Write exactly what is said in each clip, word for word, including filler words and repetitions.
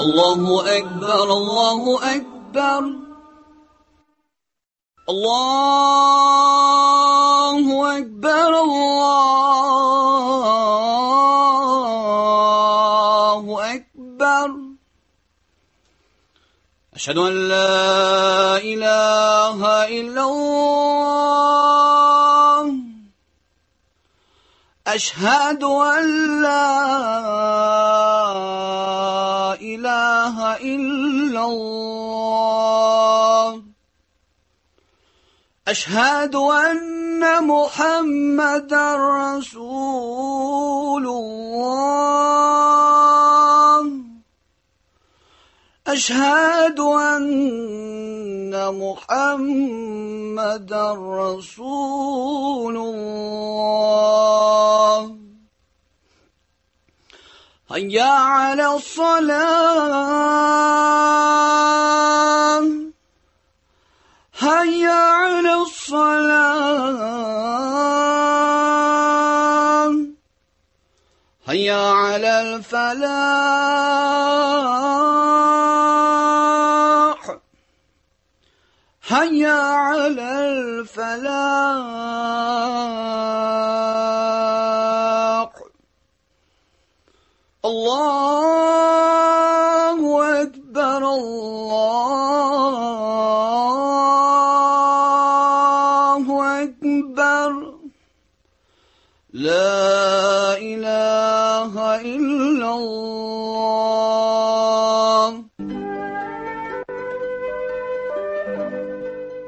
الله أكبر الله أكبر الله أكبر الله أكبر أشهد أن لا إله إلا الله أشهد أن لا إله إلا الله أشهد أن محمدا رسول الله أشهد أن محمدا رسول الله هيا على الصلاة هيا على الصلاة هيا على الفلاح هيا على الفلاح الله أكبر الله أكبر لا إله إلا الله.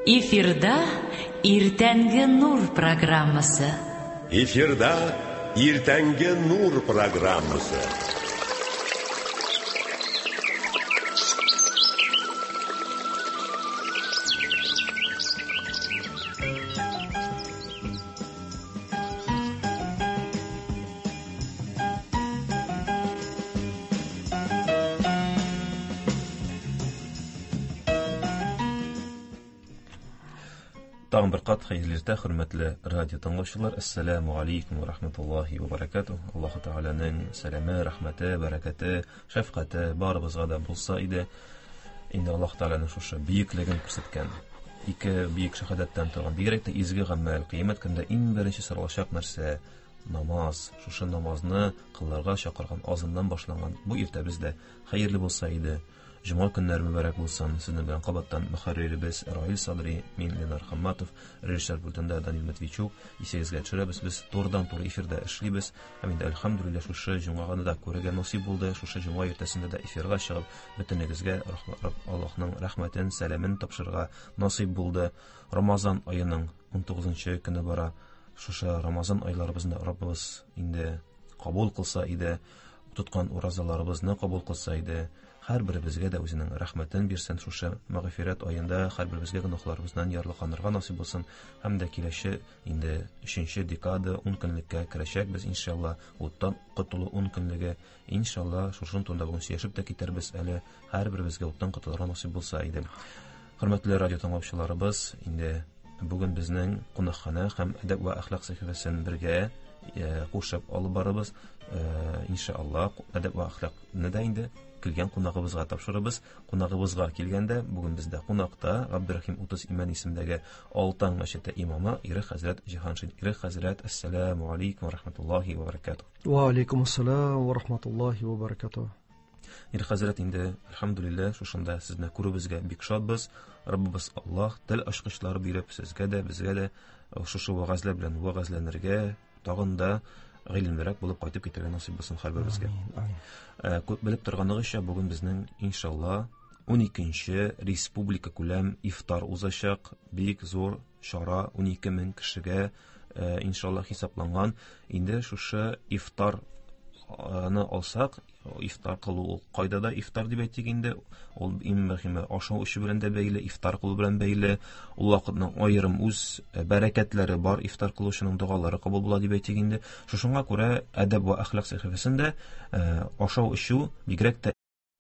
Эфирда Иртәнге Нур программасы. Эфирда Иртәнге Нур программасы. Тагын бер кат хәерле иртә, хөрмәтле радио тыңлаучылар. Ассаламу алейкум ва рахматуллахи ва баракатух. Аллаһ Тәгаләнең сәламе, рәхмәте, бәрәкәте, шәфкате барыбызга да булса иде. Инде Аллаһ Тәгаләнең шушы бөеклеген күрсәткән ике бөек шәһадәттән торган, бигрәк тә изге гамәл, кыямәт көндә иң беренче соралачак нәрсә намаз. Шушы намазны кылырга чакырган азаннан башланган бу иртәбез дә хәерле булса иде. Җомга көннәре мөбарәк булсын. Сезнең белән кабаттан мөхәрриребез Раил Садри, мин Ленар Хамматов, режиссер пультында Данил Матвейчук. Исегезгә төшерәбез, без турыдан-туры эфирда эшлибез. Һәм инде әлхәмдүлилләһ шушы җомганы да күрергә насыйп булды. Шушы җомга иртәсендә дә эфирга чыгып, бөтенегезгә Аллаһның рәхмәтен, сәламен тапшырырга насыйп булды. Рамазан аеның ун тугызынчы көне бара. Шушы Рамазан айларыбызны Раббыбыз инде кабул кылса иде, тоткан уразаларыбызны кабул кылса иде. Һәр беребезгә дә үзенең рәхмәтен бирсен. Шушы мәгъфирәт аенда һәр беребезгә гөнаһларыбыздан ярлыканырга насыйп булсын. Һәм дә киләче инде өченче декада ун көнлеккә керәчәкбез иншалла. Уттан котылу ун көнлеге иншалла. Шушын турында бүген сөйләшеп тә китәрбез әле. Һәр беребезгә уттан котылырга насыйп булса иде. Хөрмәтле радио тыңлаучыларыбыз, инде бүген безнең кунакханә һәм әдәп ва әхлак сәхифәсен бергә кушып алып барабыз. Иншалла әдәп ва әхлакны да инде килгән кунагыбызга тапшырабыз. Кунагыбызга килгәндә бүген бездә кунакта Габдурахим Утыз Имән исемендәге Алтан мәчете имамы Ирек хәзрәт Җиһаншин. Ирек хәзрәт, ассаламу алейкум ва рахматуллахи ва баракатух. Ва алейкум ассалам ва рахматуллахи ва баракатух. Ирек хәзрәт, инде әлхәмдүлилләһ шушында сезне күрүебезгә бик шатбыз. Раббыбыз Аллаһ тел ачкычлары биреп сезгә дә, безгә дә шушы вәгазьләр белән вәгазьләнергә, тагын да гыйлемлерәк булып кайтып китәргә насыйп булсын һәрберебезгә. Күп белеп торганыгызча, бүген безнең иншалла ун икенче республика күләм ифтар узачак. Бик зур чара, ун ике мең кешегә иншалла хисапланган. Инде шушы ифтарны алсак, ифтар кылу ул кайда да ифтар дип әйтик инде, ул иң мөһиме ашау эчү белән дә бәйле, ифтар кылу белән бәйле. Ул вакытның аерым үз бәрәкәтләре бар, ифтар кылучының догалары кабул була дип әйтик инде. Шушыңа күрә әдәп ва әхлак сәхифәсендә ашау эчү, бигрәк тә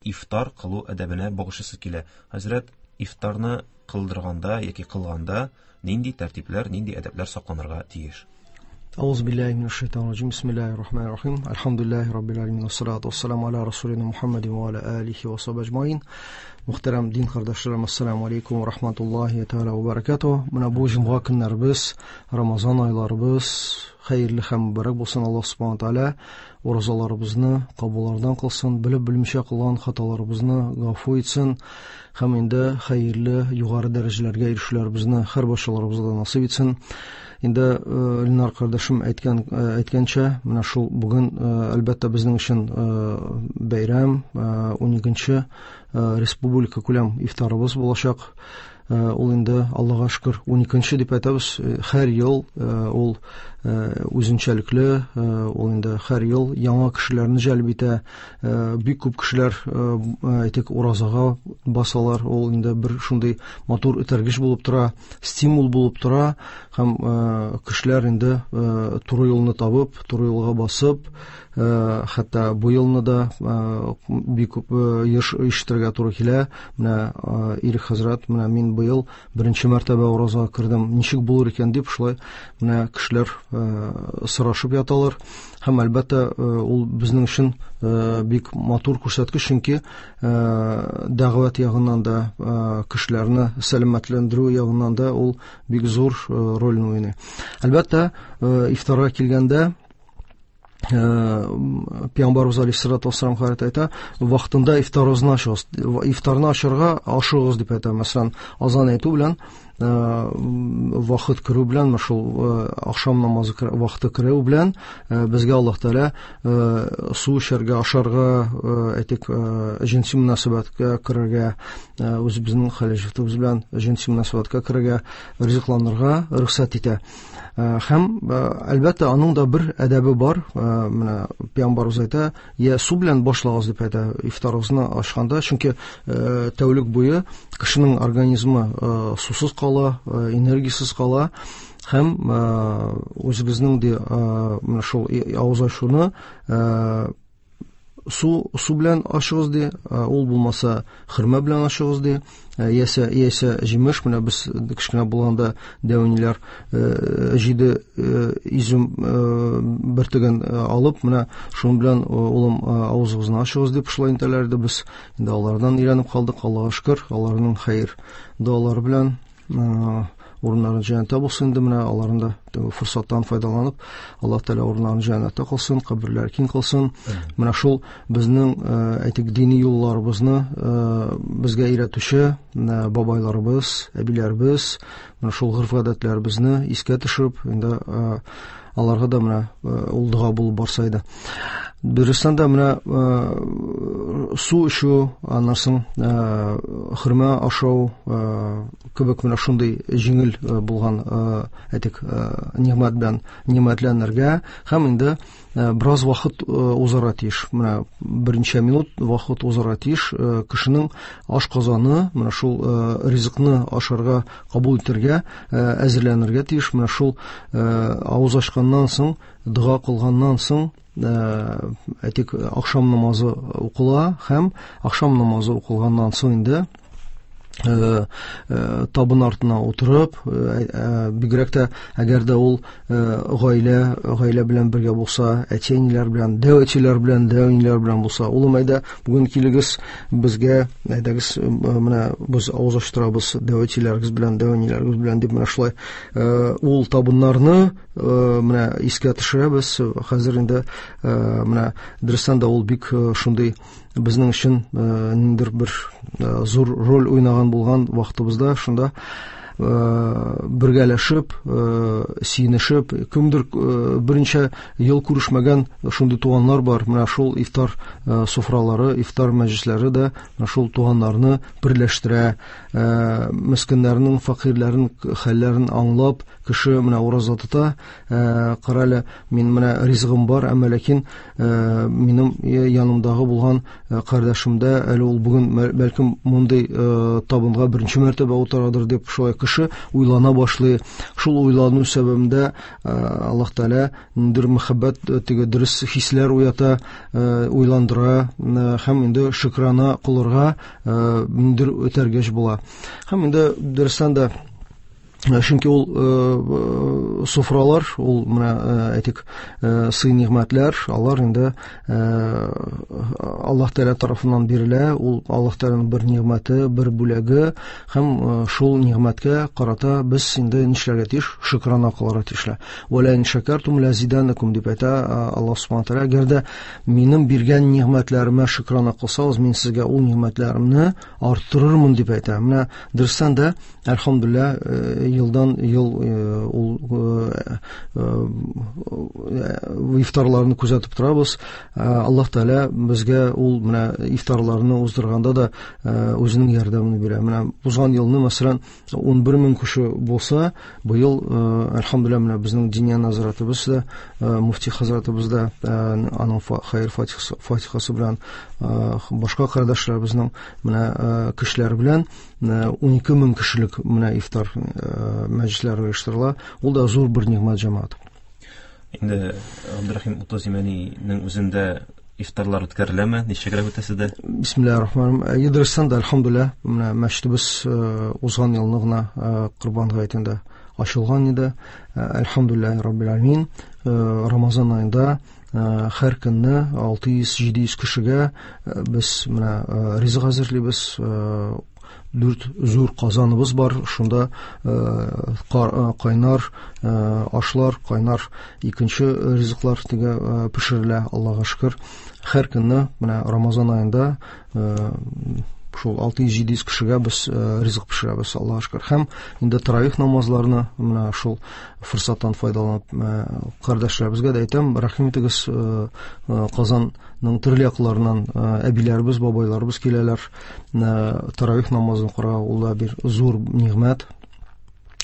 ифтар кылу әдәбенә багышлысы килә. Хәзрәт, ифтарны кылдырганда яки кылганда нинди тәртипләр, нинди әдәпләр сакланырга тиеш? Ауз биллахи минаш шайтанир раджим. Бисмиллахир рахманир рахим. Альхамдулиллахи раббил аламин. Вассалату вассаламу аля расулина Мухаммадин ва аля алихи ва сахбихи ажмаин. Мөхтәрәм дин кардәшләрем, ассаламу алейкум ва рахматуллахи тааля ва баракатуһ. Менә бу җомга көннәребез, Рамазан айларыбыз хәерле һәм мөбарәк булсын. Аллаһ субхана тааля уразаларыбызны кабуллардан кылсын, белеп белмичә кылган хаталарыбызны гафу итсен һәм инде хәерле югары дәрәҗәләргә ирешүләребезне һәр барчаларыбызга насыйп итсен. Инде Ленар кардәшем әйткән әйткәнчә, менә шул бүген әлбәттә безнең өчен бәйрәм, уникенче республика күләм ифтарыбыз булачак. Ул инде Аллаһка шөкер уникенче дип әйтәбез. Һәр ел ул үзенчәлекле, ул инде һәр ел яңа кешеләрне җәлеп итә. Бик күп кешеләр әйтик уразага басалар. Ул инде бер шундый матур этәргеч булып тора, стимул булып тора һәм кешеләр инде туры юлны табып, туры юлга басып, хәтта бу елны да бик күп еш ишетергә туры килә. Менә Ирек хәзрәт, менә мин быел беренче мәртәбә уразага кердем, ничек булыр икән дип шулай менә кешеләр сорашып яталар. Һәм әлбәттә ул безнең өчен бик матур күрсәткеч, чөнки дәгъват ягыннан да, кешеләрне сәламәтләндерү ягыннан да ул бик зур рольне уйный. Әлбәттә, ифтарга килгәндә Пәйгамбәребез алейһиссалату вассалам хәзрәт әйтә, вакытында ифтарыгызны ачыгыз, ифтарны ачарга ашыгыгыз дип әйтә. Мәсәлән, азан әйтү белән, вакыт керү белән, менә шул ахшам намазы вакыты керү белән безгә Аллаһ Тәгалә су эчәргә, ашарга, әйтик, җенси мөнәсәбәткә керергә, үзебезнең хәләл белән җенси мөнәсәбәткә керергә, ризыкланырга рөхсәт итә. Һәм әлбәттә аның да бер әдәбе бар. Менә Пәйгамбәребез әйтә, я су белән башлагыз дип әйтә ифтарыгызны ачканда, чөнки тәүлек буе кешенең организмы сусыз кала, энергиясез кала һәм үзебезнең дә менә шул авыз ачуны су су белән ачыгыз ди, ул булмаса хөрмә белән ачыгыз ди, яисә яисә җимеш. Менә без кечкенә булганда дәүниләр җиде изюм бөртеген алып, менә шуның белән улым авызыгызны ачыгыз дип шулай әйтәләр иде. Без инде алардан өйрәнеп калдык, Аллаһка шөкер, аларның хәер догалары белән урыннарын җәннәттә булсын инде. Менә аларны да форсаттан файдаланып, Аллаһ Тәгалә урыннарын җәннәттә кылсын, каберләр киң кылсын. Менә шул безнең әйтик дини юлларыбызны безгә өйрәтүче бабайларыбыз, әбиләребез, менә шул гореф-гадәтләребезне искә төшереп, инде аларга да менә ул дога булып барса иде. Дөрестән дә менә су эчү, аннан соң хөрмә ашау кебек менә шундый җиңел булган әйтик нигъмәт белән нигъмәтләнергә һәм инде бераз вакыт узарга тиеш. Менә берничә минут вакыт узарга тиеш кешенең ашказаны менә шул ризыкны ашарга кабул итәргә әзерләнергә тиеш. Менә шул авыз ачканнан соң, дога кылганнан соң, әйтик, ахшам намазы укыла һәм ахшам намазы укылганнан соң инде табын артына утырып, бигрәк тә әгәр дә ул гаилә, гаилә белән бергә булса, әти-әниләр белән, дәү әтиләр белән, дәү әниләр белән булса, улым, әйдә, бүген килегез безгә, әйдәгез, менә без авыз ачтырабыз дәү әтиләрегез белән, дәү әниләрегез белән дип менә шулай ул табыннарны менә искә төшерәбез. Хәзер инде менә дөрестән дә ул бик шундый безнең өчен ниндидер бер зур роль уйнаган булган вакытыбызда шунда бергәләшеп, сөенешеп, кемдер берничә ел күрешмәгән шундый туганнар бар. Менә шул ифтар софралары, ифтар мәҗлесләре дә менә шул туганнарны берләштерә, мескеннәрнең, фәкыйрьләрнең хәлләрен аңлап, кеше менә ураза тота, кара әле, мин менә ризыгым бар, әмма ләкин минем янымдагы булган кардәшемдә әле ул бүген бәлкем мондый табынга беренче мәртәбә утырадыр дип шулай кеше уйлана башлый. Шул уйлану сәбәбендә Аллаһ Тәгалә ниндидер мәхәббәт, теге дөрес хисләр уята, уйландыра һәм инде шөкрана кылырга ниндидер этәргеч була. Һәм инде дөрестән дә Чөнки ул софралар, ул менә әйтик, сый-нигъмәтләр, алар инде Аллаһ Тәгалә тарафыннан бирелә, ул Аллаһ Тәгаләнең бер нигъмәте, бер бүләге, һәм шул нигъмәткә карата без инде нишләргә тиеш? Шөкрана кылырга тиешләр. Ва ла ин шакартум ла зиданакум дип әйтә Аллаһ субхана тәгалә. Әгәр дә минем биргән нигъмәтләремә шөкрана кылсагыз, мин сезгә ул нигъмәтләремне арттырырмын дип әйтә. Менә дөрестән дә, әлхәмдүлилләһ, елдан ел ул ифтарларны күзәтеп торабыз. Аллаһ Тәгалә безгә ул менә ифтарларны уздырганда да үзенең ярдәмен бирә. Менә узган елны, мәсәлән, ун бер мең кеше булса, быел, әлхәмдүлилләһ, менә безнең диния нәзаратыбыз да, муфти хәзрәтебез дә, аның хәер фатихасы белән, башка кардәшләребезнең менә кешеләре белән ун ике мең кешелек менә ифтар мәҗлесләре оештырыла. Ул да зур бер нигъмәт, җәмәгать. Инде Абдурахим утыз Имәнинең үзендә ифтарлар үткәреләме? Ничегрәк үтәсе дә? Бисмиллаһир-рахманир-рахим. Дөрестән дә, әлхәмдүлилләһ, менә мәчетебез узган елны гына Корбан гаетендә ачылган иде. Әлхәмдүлилләһи раббил аламин. Рамазан аенда һәр көнне алты йөз җиде йөз кешегә без менә ризык әзерлибез. Дүрт зур казаныбыз бар, шунда кайнар ашлар, кайнар икенче ризыклар теге пешерелә, Аллаһка шөкер. Һәр көнне менә Рамазан аенда шул алты йөз җиде йөз кешегә без ризык пешерәбез, Аллаһка шөкер. Һәм инде таравих намазларны менә шул форсаттан файдаланып кардәшләребезгә дә әйтәм, рәхим итегез, Казанның төрле якларыннан әбиләребез, бабайларыбыз киләләр таравих намазын укырга, ул да бер зур нигъмәт.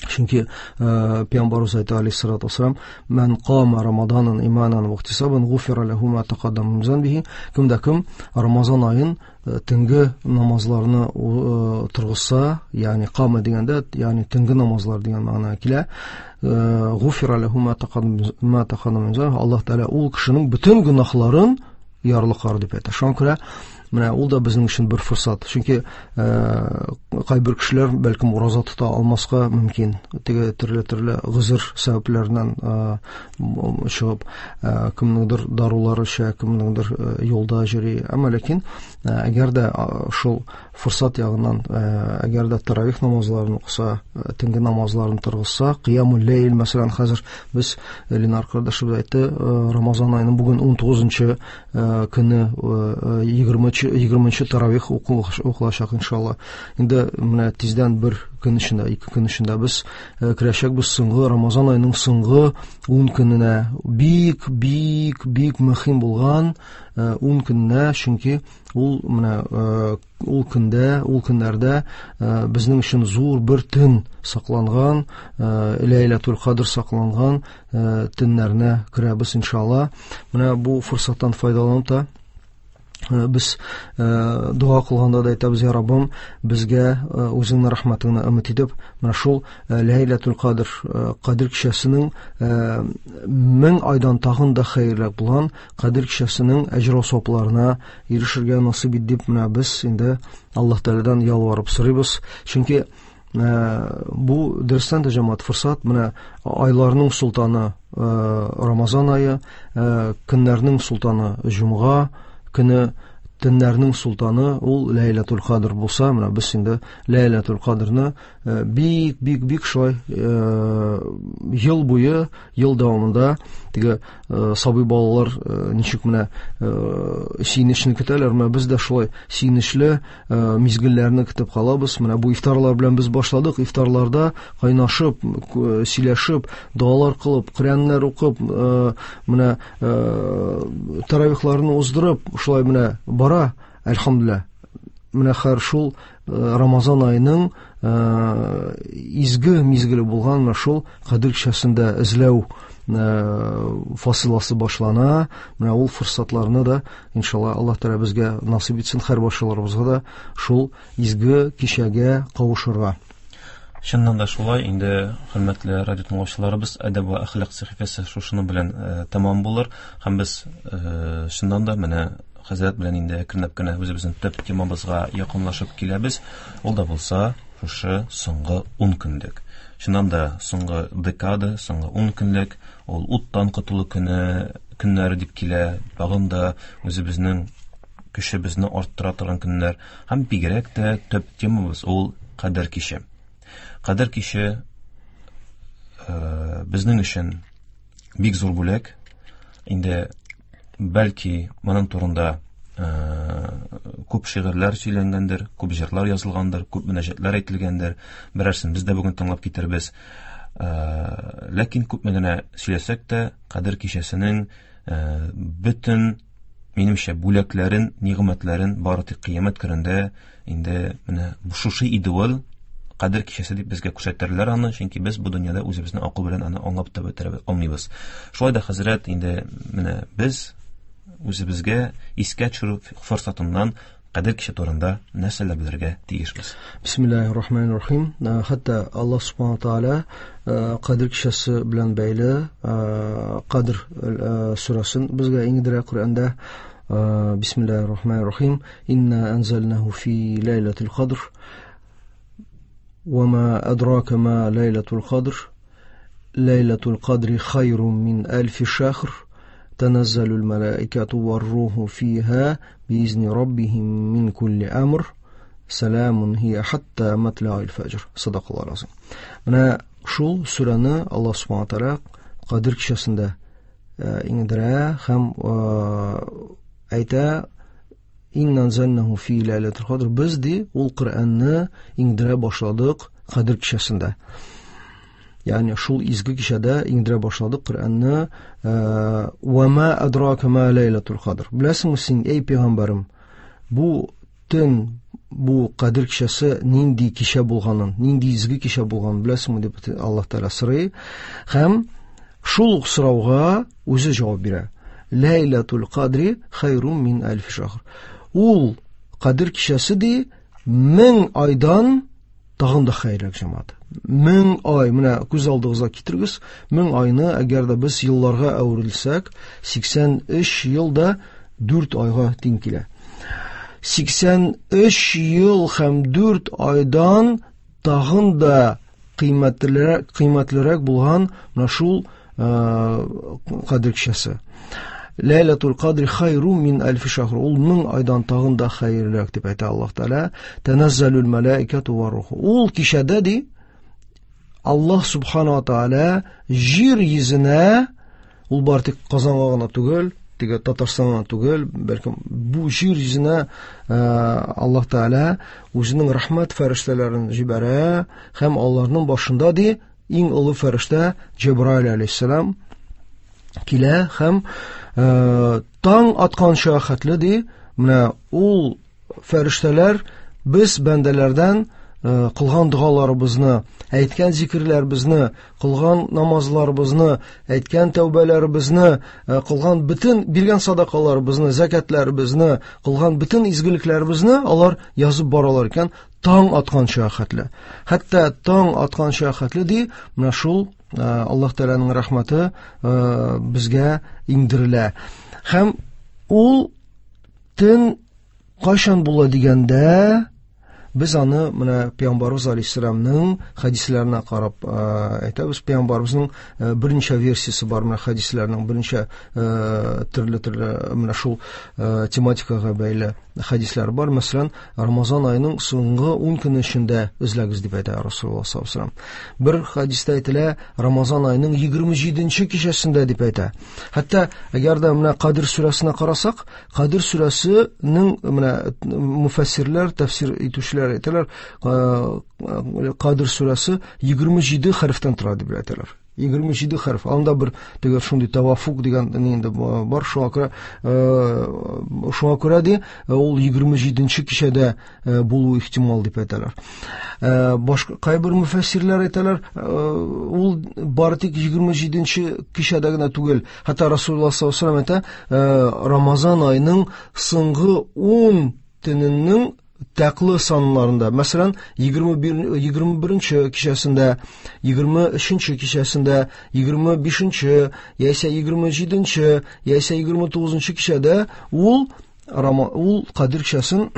Чөнки Пәйгамбәребез әйтә алейһиссалату вассалам, «Ман кама Рамаданан иманан ва ихтисабан гуфира лаху ма тақаддама мин занбихи». Кем дә кем Рамазан аен төнге намазларны торгызса, ягъни кама дигәндә, ягъни төнге намазлар дигән мәгънә килә. Гуфира лаху ма тақаддама мин занбихи. Аллаһ Тәгалә ул кешенең бөтен гөнаһларын ярлыкар дип әйтә. Шуңа күрә менә ул да безнең өчен бер форсат. Чөнки кайбер кешеләр бәлкем ураза тота алмаска мөмкин. Теге төрле-төрле гозер сәбәпләреннән чыгып, кемнеңдер дарулары эчә, кемнеңдер юлда йөри. Әмма ләкин әгәр дә шул форсат ягыннан, әгәр дә таравих намазларын укыса, төнге намазларын торгызса, кыямул ләйл, мәсәлән, хәзер без Ленар кардәшебез әйтте, Рамазан аеның бүген ун тугызынчы көне, егерменче таравих укылачак иншалла. Инде менә тиздән бер көн эчендә, ике көн эчендә без керәчәкбез соңгы Рамазан аеның соңгы ун көненә. Бик, бик, бик мөһим булган ун көненә, чөнки ул менә ул көндә, ул көннәрдә безнең өчен зур бер төн сакланган, Ләйләтул Кадр сакланган төннәренә керәбез иншалла. Менә бу форсаттан файдаланып та без дога кылганда да әйтәбез, я Раббым, безгә үзеңнең рәхмәтеңне өмет итеп, менә шул Ләйләтул Кадр, Кадр кичәсенең мең айдан тагын да хәерлерәк булган Кадр кичәсенең әҗер савапларына ирешергә насыйп ит дип менә без инде Аллаһ Тәгаләдән ялварып сорыйбыз. Чөнки бу дөрестән дә, җәмәгать, форсат. Менә айларның султаны Рамазан ае, көннәрнең султаны җомга көне, төннәрнең султаны ул Ләйләтул Кадр булса, менә без инде Ләйләтул Кадрны бик, бик, бик шулай ел буе, ел дәвамында теге сабый балалар ничек менә сөенечне көтәләр, менә без дә шулай сөенечле мизгелләрне көтеп калабыз. Менә бу ифтарлар белән без башладык. Ифтарларда кайнашып, сөйләшеп, догалар кылып, Коръәннәр укып, менә таравихларны уздырып, шулай менә бара, әлхәмдүлилләһ. Менә хәр шул Рамазан аеның изге мизгеле булган менә шул Кадер кичәсендә эзләү фасыласы башлана. Менә ул форсатларны да иншалла Аллаһ Тәгалә безгә насыйп итсен, һәр барчаларыбызга да шул изге кичәгә кавышырга. Чыннан да шулай, инде хөрмәтле радио тыңлаучыларыбыз, әдәп ва әхлак сәхифәсе шушының белән тәмам булыр. Һәм без чыннан да менә хәзрәт белән инде әкренләп кенә үзебезнең төп темабызга якынлашып киләбез. Ул да булса шушы соңгы ун көнлек. Чыннан да соңгы декада, соңгы ун көнлек, ул уттан котылу көне, көннәре дип килә. Тагын да үзебезнең көчебезне арттыра торган көннәр һәм бигрәк тә төп темабыз ул Кадер киче. Кадер киче безнең өчен бик зур бүләк. Инде бәлки моның турында күп шигырьләр сөйләнгәндер, күп җырлар язылгандыр, күп мөнәҗәтләр әйтелгәндер. Берәрсен без дә бүген тыңлап китербез. Ләкин күпме генә сөйләсәк тә, Кадер кичәсенең бөтен минемчә бүләкләрен, нигъмәтләрен бары тик кыямәт көнендә инде менә шушы иде ул Кадер кичәсе дип безгә күрсәтерләр аны, чөнки без бу дөньяда үзебезне акыл белән аны аңлап та бетерә алмыйбыз. Шулай да хәзрәт, инде менә без үзебезгә искә төшерү форсатыннан Кадер кичә турында нәрсәләр белергә тиешбез? Бисмиллаһир-рахманир-рахим. Хәтта Аллаһ субхана тааля Кадер кичәсе белән бәйле Кадр сүрәсен безгә иңдерә Коръәндә. Бисмиллаһир-рахманир-рахим. Инна анзалнаху фи лайлатил кадр. Ва ма адрака ма лайлатул кадр. Лайлатул кадри хайрун мин альфи шахр. تنزل الملائكة والروح فيها بإذن ربهم من كل أمر سلام هي حتى مطلع الفجر. صدق الله العظيم. Менә шул сүрәне Аллаһ субхана тааля Кадер кичәсендә иңдерә һәм әйтә: Инна анзалнаху фи лайлатил кадр. Без ди ул Коръәнне иңдерә башладык Кадер кичәсендә. Ягъни шул изге кичәдә иңдерә башладык Коръәнне. Ва ма адрака ма лайлатул кадр. Беләсеңме син, эй пәйгамбәрем, бу төн, бу Кадер кичәсе нинди кичә булганын, нинди изге кичә булганын беләсеңме дип Аллаһ Тәгалә сорый. Һәм шул ук сорауга үзе җавап бирә. Лайлатул кадри хайрун мин альф шахр. Ул Кадер кичәсе ди мең айдан тагын да хәерлерәк, җәмәгать. Мең ай, менә күз алдыгызга китерегез, мең айны әгәр дә без елларга әверелсәк, сиксән өч елда дүрт айга тиң килә. Сиксән өч ел һәм дүрт айдан тагын да кыйммәтлерәк, кыйммәтлерәк булган менә шул Кадер кичәсе. Лайлатул кадри хайрун мин альфи шахр. Ул мең айдан тагын да хәерлерәк дип әйтә Аллаһ Тәгалә. Таназзалул малаикату ва руху. Ул кичәдә ди Аллаһ субхана ва тааля җир йөзенә, ул бар тик Казанга гына түгел, теге Татарстанга гына түгел, бәлкем бу җир йөзенә Аллаһ Тәгалә үзенең рәхмәт фәрештәләрен җибәрә һәм аларның башында ди иң олы фәрештә Җәбраил алейһиссалам килә һәм таң атканча хәтле ди менә ул фәрештәләр без бәндәләрдән кылган догаларыбызны, әйткән зикерләребезне, кылган намазларыбызны, әйткән тәүбәләребезне, кылган бөтен биргән садакаларыбызны, закатларыбызны, кылган бөтен изгелекләребезне алар язып баралар икән таң атканча хәтле. Хәтта таң атканча хәтле ди менә шул Аллаһ Тәгаләнең рәхмәте безгә иңдерелә. Һәм ул төн кайчан була дигәндә, без аны менә Пәйгамбәрбез алейһиссәламның хәдисләренә карап әйтәбез. Пәйгамбәрбезнең берничә версиясе бар, менә хәдисләрнең берничә төрле-төрле менә шул тематикага бәйле хәдисләр бар. Мәсәлән, Рамазан аеның соңгы ун көне эчендә эзләгез дип әйтә Расулуллаһ саллаллаһу алейһи ва саллям. Бер хәдистә әйтелә, Рамазан аеның егерме җиденче кичәсендә дип әйтә. Хәтта әгәр дә менә Кадр сүрәсенә карасак, Кадр сүрәсенең менә муфассирлар, тәфсир итүчеләр әйтәләр, Кадр сүрәсе егерме җиде хәрефтән тора дип әйтәләр. Егерме җиде хәреф. Анда бер теге шундый тавафук дигән инде бар, шуңа күрә, шуңа күрә ди, ул егерме җиденче кичәдә булуы ихтимал дип әйтәләр. Башка кайбер мөфәссирләр әйтәләр, ул бары тик егерме җиденче кичәдә генә түгел. Хәтта Расулуллаһ саллаллаһу алейһи ва саллям әйтә, Рамазан аеның соңгы ун төненең тәклы саннарында, мәсәлән, егерме бер, егерме беренче кичәсендә, егерме өченче кичәсендә, егерме бишенче, яисә егерме җиденче, яисә егерме тугызынчы кичәдә ул Рама, ул Кадер кичәсен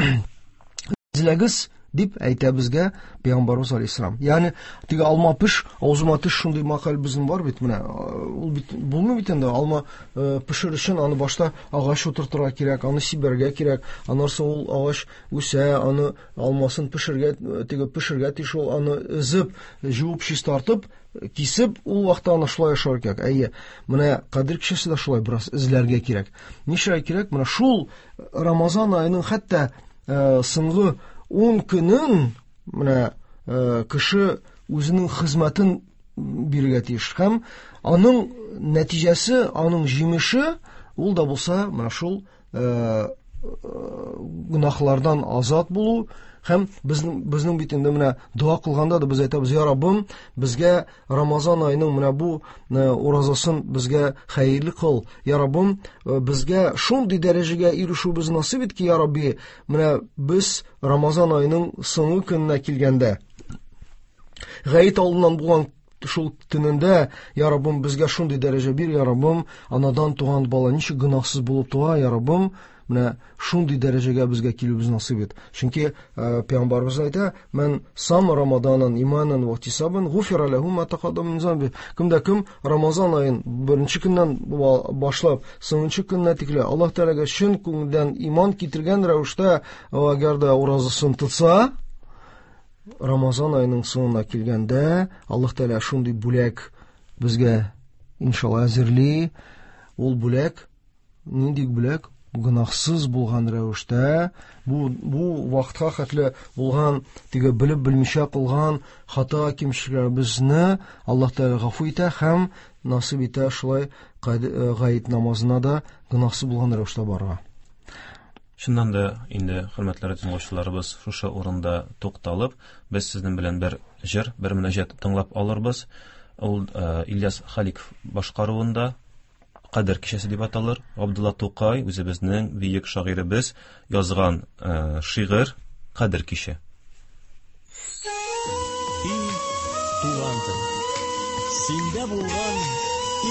эзләгез Дип әйтә безгә Пәйгамбәрбез алейһиссалам. Ягъни теге алма пеш, авызыма төш шундый мәкаль безнең бар бит менә. Ул бит булмый бит инде. Алма пешер өчен аны башта агач утыртырга кирәк, аны сибәргә кирәк. Аннан соң ул агач үсә, аны алмасын пешергә, теге пешергә тиеш ул, аны өзеп, җуып, чистартып, кисеп, ул вакытта аны шулай ашар кирәк. Әйе, менә Кадер кичәсе дә шулай бераз эзләргә кирәк. Нишләргә кирәк? Менә шул Рамазан аеның хәтта соңгы ун көнен менә кеше үзенең хезмәтен бирергә тиеш. Һәм аның нәтиҗәсе, аның җимеше ул да булса менә шул гөнаһлардан азат булу. Һәм безнең, безнең бит инде менә дога кылганда да без әйтәбез: "Я Раббым, безгә Рамазан аеның менә бу уразасын безгә хәерле кыл. Я Раббым, безгә шундый дәрәҗәгә ирешүебез насыйп ит ки, я Рабби, менә без Рамазан аеның соңгы көненә килгәндә, гает алдыннан булган шул төнендә, я Раббым, безгә шундый дәрәҗә бир, я Раббым, анадан туган бала ничек гөнаһсыз булып туа, я Раббым, менә шундый дәрәҗәгә безгә килүебез насыйп ит." Чөнки Пәйгамбәрбез әйтә: "Мән сам Рамаданан иманан ва ихтисабан гуфира лаху ма тақаддама мин замби." Кемдә кем Рамазан аен беренче көннән башлап соңынчы көненә тикле Аллаһ Тәгаләгә чын күңелдән иман китергән рәвештә әгәр дә уразасын тотса, Рамазан аеның соңына килгәндә Аллаһ Тәгалә шундый бүләк безгә иншалла әзерли. Ул бүләк нинди бүләк? Гөнаһсыз булган рәвештә, бу, бу вакытка хәтле булган, теге белеп белмичә кылган хата кимчелекләребезне Аллаһ Тәгалә гафу итә һәм насыйп итә шулай гает намазына да гөнаһсыз булган рәвештә барырга. Чыннан да инде, хөрмәтле тыңлаучыларыбыз, шушы урында тукталып, без сезнең белән бер җыр, бер мөнәҗәт тыңлап алырбыз. Ул Ильяс Халиков башкаруында Кадер кичәсе дип аталыр. Габдулла Тукай, үзебезнең бөек шагыйребез, язган э, шигырь Кадер киче. И туган тел, синдә булган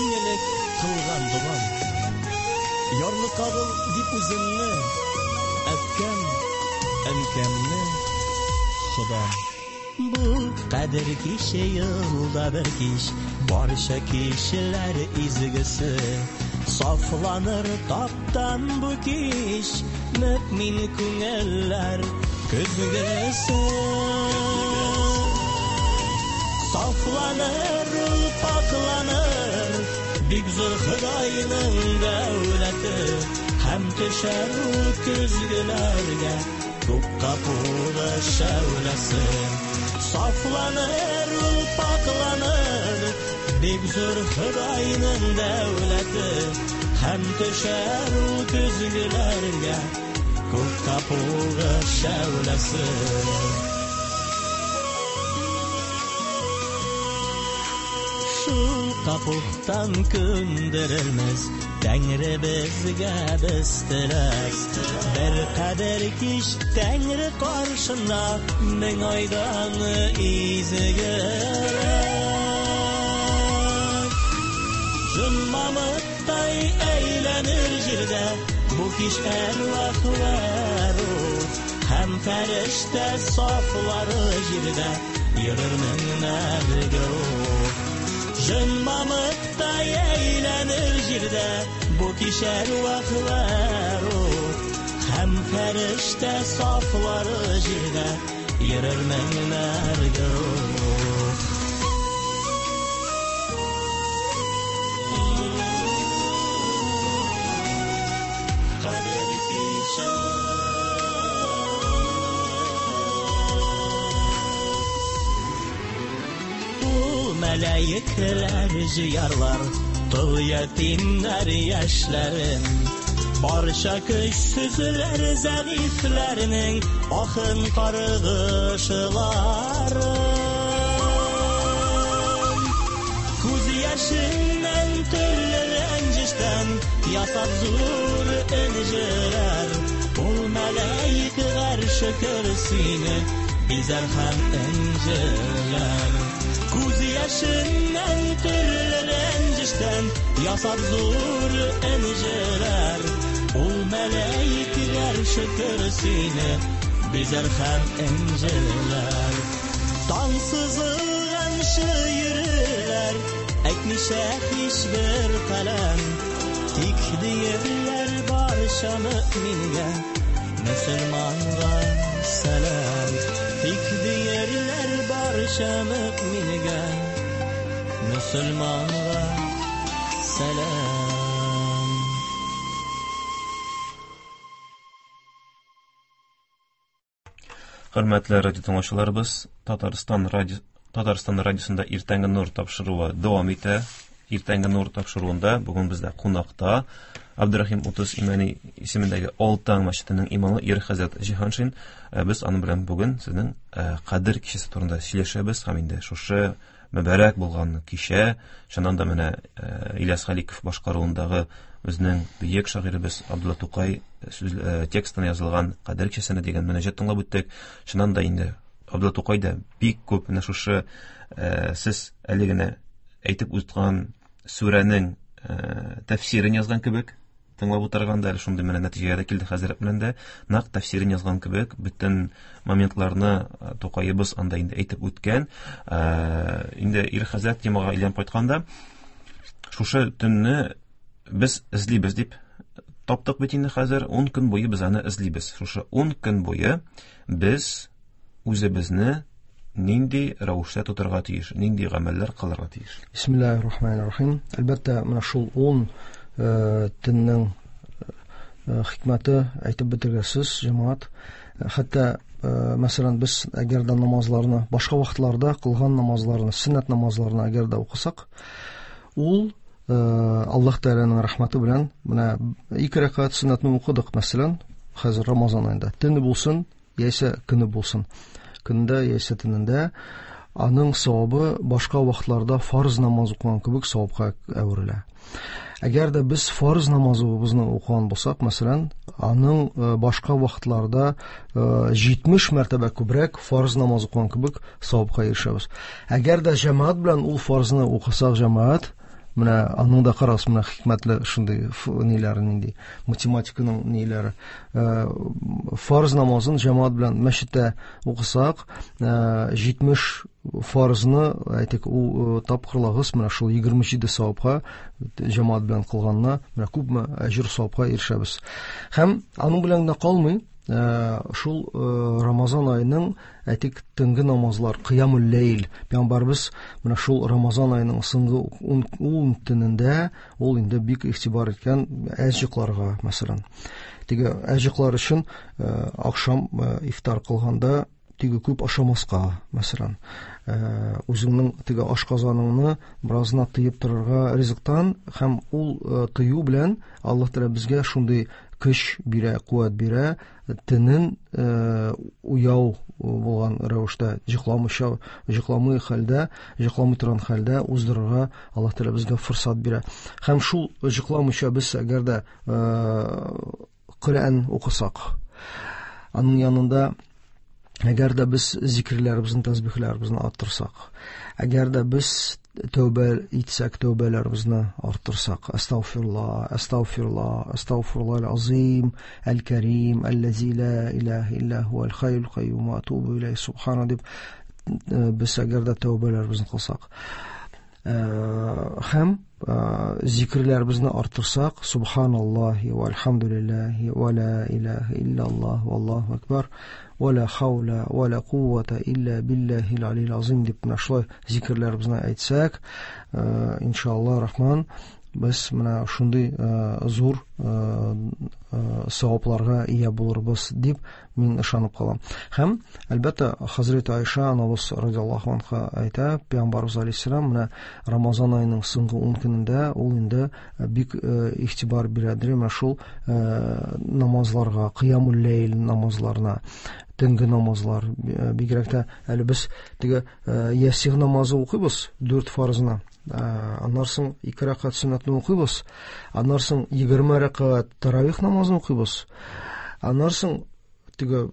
иң элек кылган догам. Ярлыкагыл дип үземне, әткәм, әнкәмне, Ходам. Бу кадер киче елда бер кич, барча кешеләр изгесе. Сафланыр таптан бу кич, мөмин күңелләр көзгесе. Сафланыр ул, пакланыр, бик зур Ходайның дәүләте. Һәм төшәр ул көзгеләргә күк капугы шәүләсе. Сафланыр ул, пакланыр, бик зур Ходайның дәүләте. Һәм төшәр ул көзгеләргә күк капугы шәүләсе. Шул капуктан көндерелмез Тәңре безгә без теләк. Бер кадер кич Тәңре каршында мең айдан изгерәк. Җынмамыктай әйләнер җирдә бу кич әрвах вә рух. Һәм фәрештә сафлары җирдә йөрер меңнәр гөрух. Җынмамыктай әйләнер җирдә бу кич әрвах вә рух. Һәм фәрештә сафлары җирдә йөрер меңнәр гөрух. Кадер киче. Мәләйкәләр җыярлар тол ятимнәр яшьләрен, барча көчсезләр зәгыйфьләрнең ахын каргышларын. Күз яшеннән төрле рәнҗештән ясап зур энҗеләр, ул мәләйк гарше көрсине бизәр һәм энҗеләр. Күз яшеннән төрле рәнҗештән ясап зур энҗеләр, ул мәләйк гарше көрсине Бизәр һәм энҗеләр. Таң сызылганчы йөрерләр, әйтмичә һичбер каләм. Тик диерләр барча мөмингә, мөселманга сәлам. Тик диерләр барча мөмингә, мөселманга сәлам. Хөрмәтле радио тыңлаучыларыбыз, Татарстан радио Татарстан радиосында Иртәнге нур тапшыруы дәвам итә. Иртәнге нур тапшыруында бүген бездә кунакта Абдурахим Утыз Имәни исемендәге Алтан мәчетенең имамы Ир хәзрәт Җиһаншин. Без аның белән бүген сезнең Кадер кичәсе турында сөйләшәбез һәм инде шушы мөбарәк булган кичә, чыннан да менә Ильяс Халиков башкаруындагы безнең бөек шагыйребез Абдулла Тукай сүз текстына язылган Кадер кичәсенә дигән мөнәҗәт тыңлап үттек. Чыннан да инде Абдулла Тукай да бик күп менә шушы сез әле генә әйтеп үткән сүрәнең тәфсирен язган кебек, тыңлап утырганда әле шундый менә нәтиҗәгә дә килде хәзрәт белән дә, нәкъ тәфсирен язган кебек, бөтен моментларны Тукаебыз анда инде әйтеп үткән. Инде Ир хәзрәт темага әйләнеп кайтканда, шушы төнне без эзлибез дип таптык бит инде хәзер, ун көн буе без аны эзлибез. Шушы ун көн буе без үзебезне нинди рәвештә тотарга тиеш, нинди гамәлләр кылырга тиеш? Бисмиллаһир-рахманир-рахим. Әлбәттә, менә шул ун төннең хикмәте әйтеп бетергесез, җәмәгать. Хәтта, мәсәлән, без әгәр дә намазларны, башка вакытларда кылган намазларны, сөннәт намазларны әгәр дә укысак, ул Аллаһ Тәгаләнең рәхмәте белән менә ике рәкәгать сөннәтне укыдык, мәсәлән, хәзер Рамазан аенда. Төне булсын, яисә көне булсын. Көндә яисә төнендә аның савабы башка вакытларда фарыз намаз укыган кебек савапка әверелә. Әгәр дә без фарыз намазыбызны укыган булсак, мәсәлән, аның башка вакытларда җитмеш мәртәбә күбрәк фарыз намаз укыган кебек савапка ирешәбез. Әгәр дә җәмәгать белән ул фарызны укысак, җәмәгать, менә аның да карагыз, менә хикмәтле шундый ниләре, нинди математиканың ниләре. Фарыз намазын җәмәгать белән мәчеттә укысак, җитмеш фарызны, әйтик, ул тапкырлагыз, менә шул егерме җиде савапка җәмәгать белән кылганна, менә күпме әҗер савапка ирешәбез. Һәм аның белән генә калмый, шул Рамазан аеның, әйтик, төнге намазлар, кыямул ләйл, пәйгамбәрбез менә шул Рамазан аеның соңгы ун төнендә ул инде бик игътибар иткән әз йокларга, мәсәлән. Теге әз йоклар өчен ахшам ифтар кылганда теге күп ашамаска, мәсәлән. Үзеңнең теге ашказаныңны беразына тыеп торырга ризыктан, һәм ул тыю белән Аллаһ Тәгалә безгә шундый көч бирә, куәт бирә, төнен уяу булган рәвештә, йокламыйча, йокламый хәлдә, йокламый торган хәлдә уздырырга Аллаһ Тәгалә безгә форсат бирә. Һәм шул йокламыйча без әгәр дә Коръән укысак, аның янында әгәр дә без зикерләребезне, тәсбихләребезне арттырсак, әгәр дә без тәүбә итсәк, тәүбәләребезне арттырсак, әстәгъфирулла, әстәгъфирулла, әстәгъфируллаһил азим, әл-Кәрим, әлләзи ла илаһа илля һуәл хәйюл кайюм ва атубу иләйһи субхана дип без әгәр дә тәүбәләребезне кылсак, һәм зикерләребезне арттырсак, субханаллаһи вальхамдулиллаһи ва ла илаһа илляллаһ валлаһу акбар ва ла хаула ва ла куввата илля биллаһил алил азим дип менә шулай зикерләребезне әйтсәк, иншаллаһ рахман, без менә шундый зур савапларга ия булырбыз дип мин ышанып калам. Һәм әлбәттә, Хәзрәт Айша анабыз радиаллаһу анха әйтә, Пәйгамбәрбез алейһиссәлам менә Рамазан аеның соңгы ун көнендә ул инде бик игътибар бирәдер менә шул намазларга, кыямул ләйл намазларына, төнге намазлар, бигрәк тә әле без теге ясигъ намазы укыйбыз дүрт фарызына. Аннан соң ике рәкәгать сөннәтне укыйбыз, аннан соң егерме рәкәгать таравих намазын укыйбыз, аннан соң теге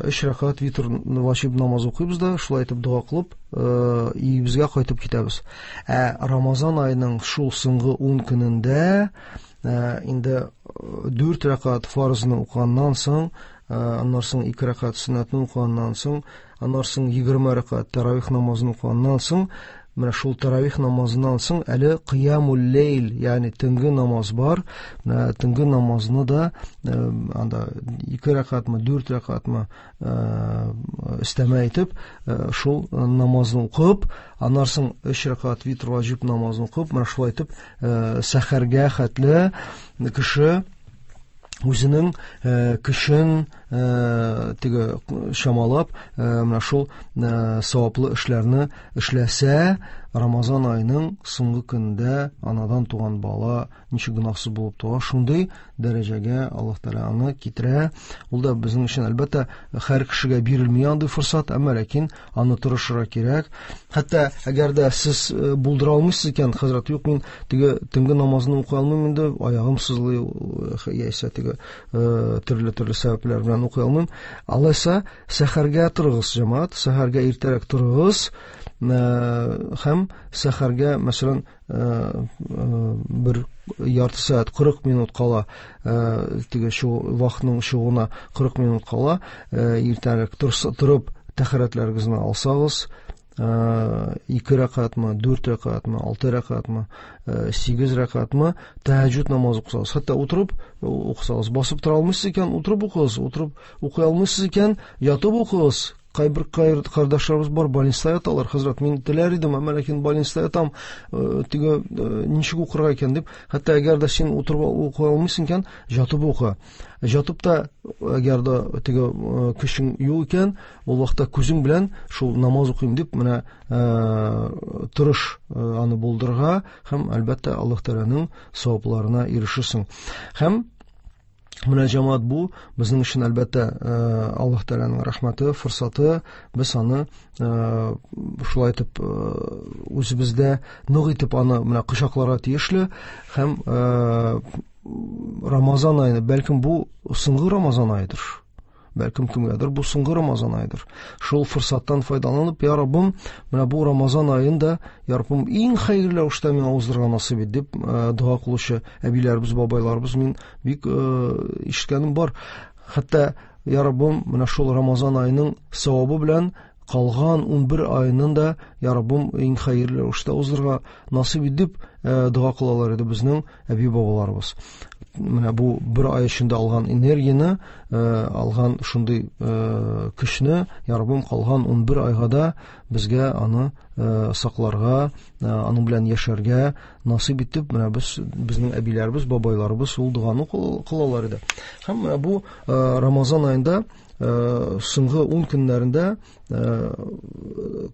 өч рәкәгать витр ваҗиб намазы укыйбыз да, шулай итеп дога кылып, өебезгә кайтып китәбез. Ә Рамазан аеның шул соңгы ун көнендә инде дүрт рәкәгать фарызны укыганнан соң Аннан соң ике рәкәгать сөннәтне укыганнан соң, аннан соң егерме рәкәгать тәравих намазын укыганнан соң, менә шул тәравих намазыннан соң әле кыямул лейл, ягъни төнге намаз бар. Менә төнге намазны да анда ике рәкәгатьме, дүрт рәкәгатьме өстәмә әйтеп, шул намазны укып, аннан соң өч рәкәгать витр ваҗиб намазын укып, менә шулай итеп сәхәргә хәтле кеше үзенең көчен теге чамалап, менә шул саваплы эшләрне эшләсә, Рамазан аеның соңгы көнендә анадан туган бала ничек гөнаһсыз булып туа, шундый дәрәҗәгә Аллаһ Тәгалә аны китерә. Ул да безнең өчен әлбәттә һәр кешегә бирелми андый форсат, әмма ләкин аны тырышырга кирәк. Хәтта әгәр дә сез булдыра алмыйсыз икән, хәзрәт, юк, мин теге төнге намазны укый алмыйм инде, аягым сызлый яисә теге төрле-төрле сәбәпләр белән укый алмыйм. Алайса сәхәргә торыгыз, җәмәгать, сәхәргә иртәрәк торыгыз һәм сәхәргә, мәсәлән, бер ярты сәгать кырык минут кала, теге шу вакытның чыгуына кырык минут кала, иртәрәк торып тәһарәтләрегезне алсагыз, ике рәкәгатьме, дүрт рәкәгатьме, алты рәкәгатьме, сигез рәкәгатьме тәһәҗҗүд намазы укысагыз, хәтта утырып укысагыз, басып тора алмыйсыз икән, утырып укыгыз, утырып укый алмыйсыз икән, ятып укыгыз. Кайбер кардәшләребез бар, больниста яталар. Хәзрәт, мин теләр идем, әмма ләкин больниста ятам, теге ничек укырга икән дип. Хәтта әгәр дә син утырып укый алмыйсың икән, ятып укы. Ятып та әгәр дә теге көчең юк икән, ул вакытта күзең белән шул намаз укыйм дип, менә тырыш аны булдырырга һәм әлбәттә Аллаһ Тәгаләнең савапларына ирешерсең. Һәм менә җәмәгать, бу безнең өчен әлбәттә Аллаһ Тәгаләнең рәхмәте, форсаты. Без аны шулай итеп үзебездә нык итеп аны менә кочакларга тиешле. Һәм Рамазан ае, бәлкем бу соңгы Рамазан аедыр. Бәлкем кемгәдер бу соңгы Рамазан аедыр. Шул форсаттан файдаланып, я Раббым, менә бу Рамазан аенда, я Раббым, иң хәерле рәвештә миңа уздырырга насыйп ит дип дога кылучы әбиләребез, бабайларыбыз мин бик ишеткәнем бар. Хәтта, я Раббым, менә шул Рамазан аеның савабы белән калган ун бер аеның да, я Раббым, иң хәерле рәвештә уздырырга насыйп ит дип дога кылалар иде безнең әби-бабаларыбыз. Менә бу бер ай эчендә алган энергияне, алган шундый көчне, я Раббым, калган ун бер айга да безгә аны сакларга, аның белән яшәргә насыйп итеп, менә без, безнең әбиләребез, бабайларыбыз ул доганы кылалар иде. Һәм менә бу Рамазан аенда соңгы ун көннәрендә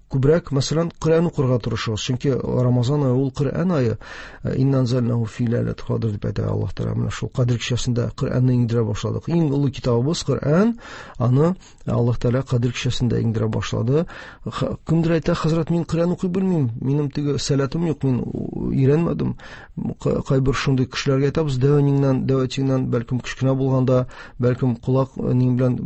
күбрәк, мәсәлән, Коръән укырга тырышыгыз. Чөнки Рамазан ае ул Коръән ае. Инна анзалнаху фи ләйләтил кадр дип әйтә Аллаһ Тәгалә. Менә шул Кадр кичәсендә Коръәнне иңдерә башладык. Иң олы китабыбыз Коръән, аны Аллаһ Тәгалә Кадр кичәсендә иңдерә башлады. Кемдер әйтә, хәзрәт, мин Коръән укый белмим, минем теге сәләтем юк, мин өйрәнмәдем. Кайбер шундый кешеләргә әйтәбез, дәвәнеңнән, дәвәтиңнән, бәлкем кечкенә булганда, бәлкем колак нең белән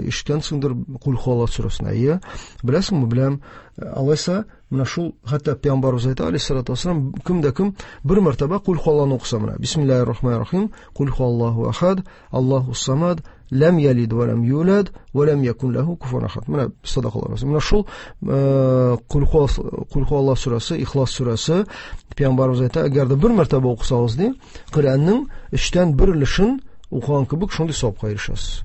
ишеткәнсеңдер Кул хуаллаһ сүрәсен. Әйе, беләсеңме? Беләм. Алайса, менә шул хәтта пәйгамбәребез әйтә, алейһиссалату вассалам, кем дә кем бер мәртәбә Кул хуаллаһны укыса, менә бисмиллаһир рахманир рахим, Кул хуаллаһу ахад, Аллаһу самад, ләм ялид ва ләм юлад ва ләм якун ләһу куфуан ахад. Менә садакалар. Менә шул Кул хуаллаһ сүрәсе, Ихлас сүрәсе, пәйгамбәребез әйтә, әгәр дә бер мәртәбә укысагыз ди, Коръәннең өчтән бер өлешен укыган кебек шундый савапка ирешәсез.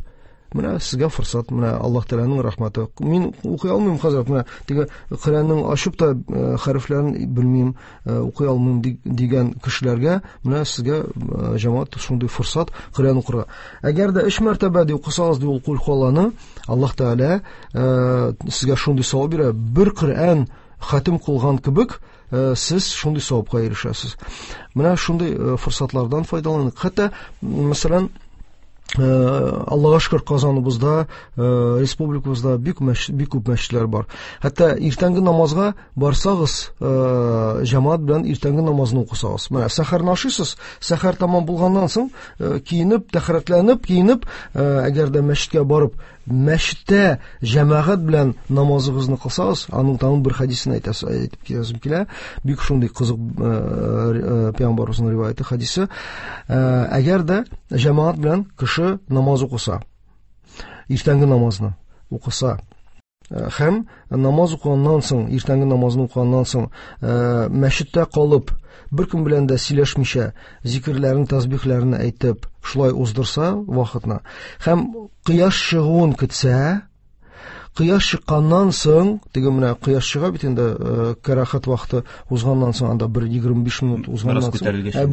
Менә сезгә форсат, менә Аллаһ Тәгаләнең рәхмәте. Мин укый алмыйм, хәзрәт, менә теге Коръәннең ачып та хәрефләрен белмим, укый алмыйм дигән кешеләргә менә сезгә җәмәгать шундый форсат Коръән укырга. Әгәр дә өч мәртәбә ди укысагыз ди ул Кул хуаллаһны, Аллаһ Тәгалә сезгә шундый савап бирә. Бер Коръән хатим кылган кебек сез шундый савапка ирешәсез. Менә шундый форсатлардан файдаланыйк. Хәтта, мәсәлән, Аллаһка шөкер, Казаныбызда, республикабызда бик бик күп мәчетләр бар. Хәтта иртәнге намазга барсагыз, җәмәгать белән иртәнге намазны укысагыз. Менә сәхәрне ашыйсыз, сәхәр тамам булганнан соң, киенеп, тәһарәтләнеп, киенеп, әгәр дә мәчеткә барып, мәчеттә җәмәгать белән намазыгызны кылсагыз, аның тагын бер хәдисен әйтәсе, әйтеп китәсем килә. Бик шундый кызык пәйгамбәребезнең риваяте хәдисе. Әгәр дә җәмәгать белән кеше намаз укыса, иртәнге намазны укыса, һәм намаз укыганнан соң, иртәнге намазны укыганнан соң, мәчеттә калып, бер кем белән дә сөйләшмичә, зикерләрен, тәсбихләрен әйтеп, шулай уздырса вакытны, һәм кояш чыгуын көтсә, кояш чыкканнан соң, теге менә кояш чыга бит инде, кәрахат вакыты узганнан соң, анда бер егерме биш минут узганнан соң,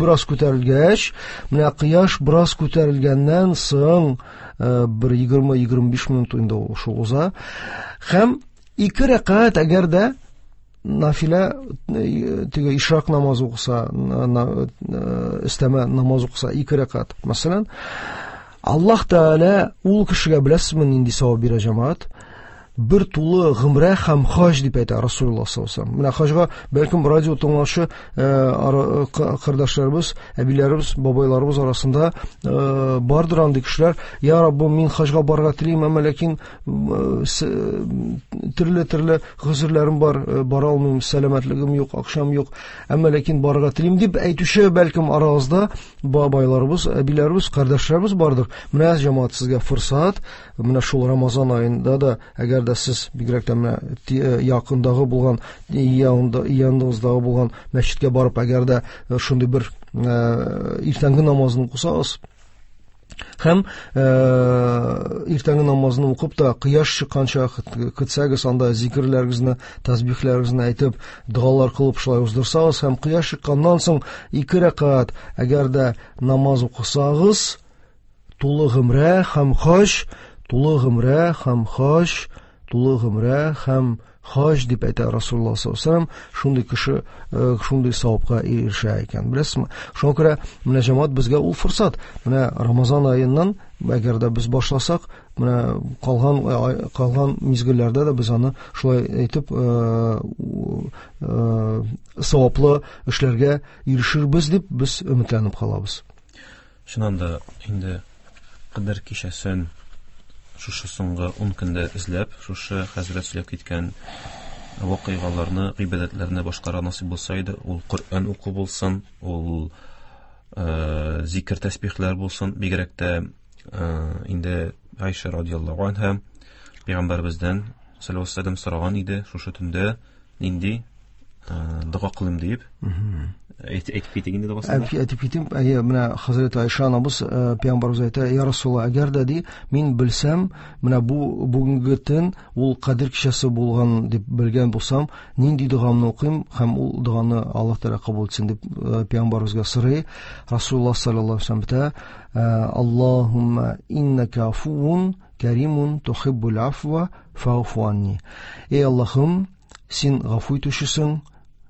бераз күтәрелгәч, менә кояш бераз күтәрелгәннән соң, бер егерме егерме биш минут инде шул уза. Һәм ике рәкәгать әгәр дә нафилә, теге ишрак намазы укыса, өстәмә намаз укыса, ике рәкәгать, мәсәлән, Аллаһ Тәгалә ул кешегә беләсезме нинди савап бирә, җәмәгать? Бер тулы гомрә һәм хаҗ дип әйтә Расулуллаһ саллаллаһу алейһи ва сәлләм. Менә хаҗга бәлкем радио тыңлаучы кардәшләребез, әбиләребез, бабайларыбыз арасында бардыр андый кешеләр. Я Раббым, мин хаҗга барырга телим, әмма ләкин төрле-төрле гозерләрем бар, бара алмыйм, сәламәтлегем юк, акчам юк, әмма ләкин барырга телим дип әйтүче бәлкем арагызда бабайларыбыз, әбиләребез, кардәшләребез бардыр. Менә җәмәгать, сезгә форсат, менә шул Рамазан аенда да, әгәр дә сез бигрәк тә менә якындагы булган, яныңыздагы булган мәчеткә барып, әгәр дә шундый бер иртәнге намазны укысагыз, һәм иртәнге намазны укып та кояш чыкканча көтсәгез, анда зикерләрегезне, тәсбихләрегезне әйтеп, догалар кылып шулай уздырсагыз, һәм кояш чыкканнан соң ике рәкәгать әгәр дә намаз укысагыз, тулы гомрә һәм хаҗ, тулы гомрә һәм хаҗ, тулы гомрә һәм хаҗ дип әйтә Расулуллаһ саллаллаһу алейһи ва сәлләм. Шундый кеше шундый савапка ирешә икән, беләсезме? Шуңа күрә менә җәмәгать, безгә ул форсат. Менә Рамазан аеннан әгәр дә без башласак, менә калган калган мизгелләрдә дә без аны шулай әйтеп саваплы эшләргә ирешербез дип без өметләнеп калабыз. Чыннан да инде Кадер кичәсен шушы соңгы ун көндә эзләп, шушы хәзрәт сөйләп киткән вакыйгаларны, гыйбадәтләрне башкара насыйп булса иде, ул Коръән уку булсын, ул э, зикер тәсбихләр булсын, бигрәк тә э, инде Айша радиаллаһу анһа пәйгамбәребездән саллаллаһу алейһи ва сәлләм сораган иде, шушы төндә нинди дога кылыйм дип. Әйтеп китик инде догасын. Әйтеп китим. Әйе, менә Хәзрәт Айша анабыз пәйгамбәребез әйтә: "Я Расулуллаһ, әгәр дә ди, мин белсәм, менә бу бүгенге төн ул Кадер кичәсе булган дип белгән булсам, нинди догамны укыйм һәм ул доганы Аллаһ Тәгалә кабул итсен" дип пәйгамбәребезгә сорый. Расулуллаһ саллаллаһу алейһи ва сәлләм әйтә: "Аллаһумма иннака афуун каримун тухиббул афва фаъфу анни." Эй Аллаһым, син гафу итүчесең,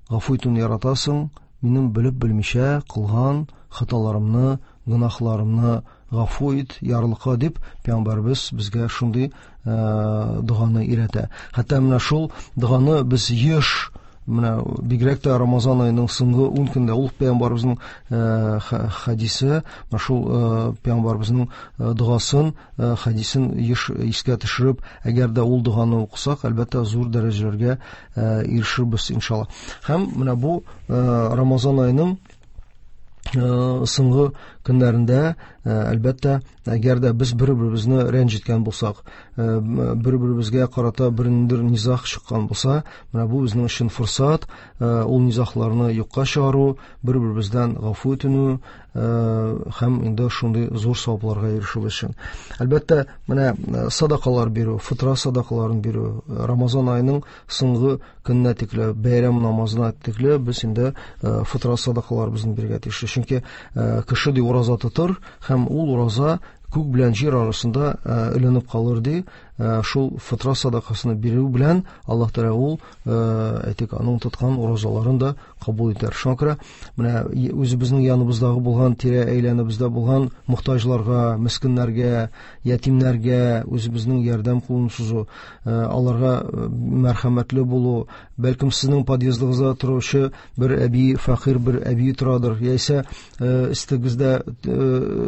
гафу итүне яратасың, минем белеп белмичә кылган хаталарымны, гөнаһларымны гафу ит, ярлыка дип пәйгамбәребез безгә шундый доганы өйрәтә. Хәтта менә шул доганы без еш, менә бигрәк тә Рамазан аеның соңгы ун көндә ул пәйгамбәребезнең хадисе, менә шул пәйгамбәребезнең догасын, хадисен еш искә төшереп, әгәр дә ул доганы укысак, әлбәттә, зур дәрәҗәләргә ирешербез иншалла. Һәм менә бу Рамазан аеның соңгы көннәрендә, әлбәттә, әгәр дә без бер-беребезне рәнҗеткән булсак, бер-беребезгә карата бернинди низаг чыккан булса, менә бу безнең өчен форсат, ул низагларны юкка чыгару, бер-беребездән гафу үтенү һәм инде шундый зур савапларга ирешү өчен. Әлбәттә, менә садакалар бирү, фитра садакаларын бирү, Рамазан аеның соңгы көненә тикле, бәйрәм намазына тикле без инде фитра садакаларыбызны бирергә тиеш. Чөнки кеше ди ураза тотыр һәм ул ураза күк белән җир арасында эленеп калыр ди. Шул фитра садакасын бирү белән Аллаһ Тәгалә ул, әйтик, аның тоткан уразаларын да кабул итәр. Шуңа күрә менә үзебезнең яныбыздагы булган, тирә әйләнебездә булган мохтаҗларга, мескеннәргә, ятимнәргә үзебезнең ярдәм кулын сузу, аларга мәрхәмәтле булу, бәлкем сезнең подъездыгызда торучы бер әби, фәкыйрь бер әби торадыр, яисә өстегездә,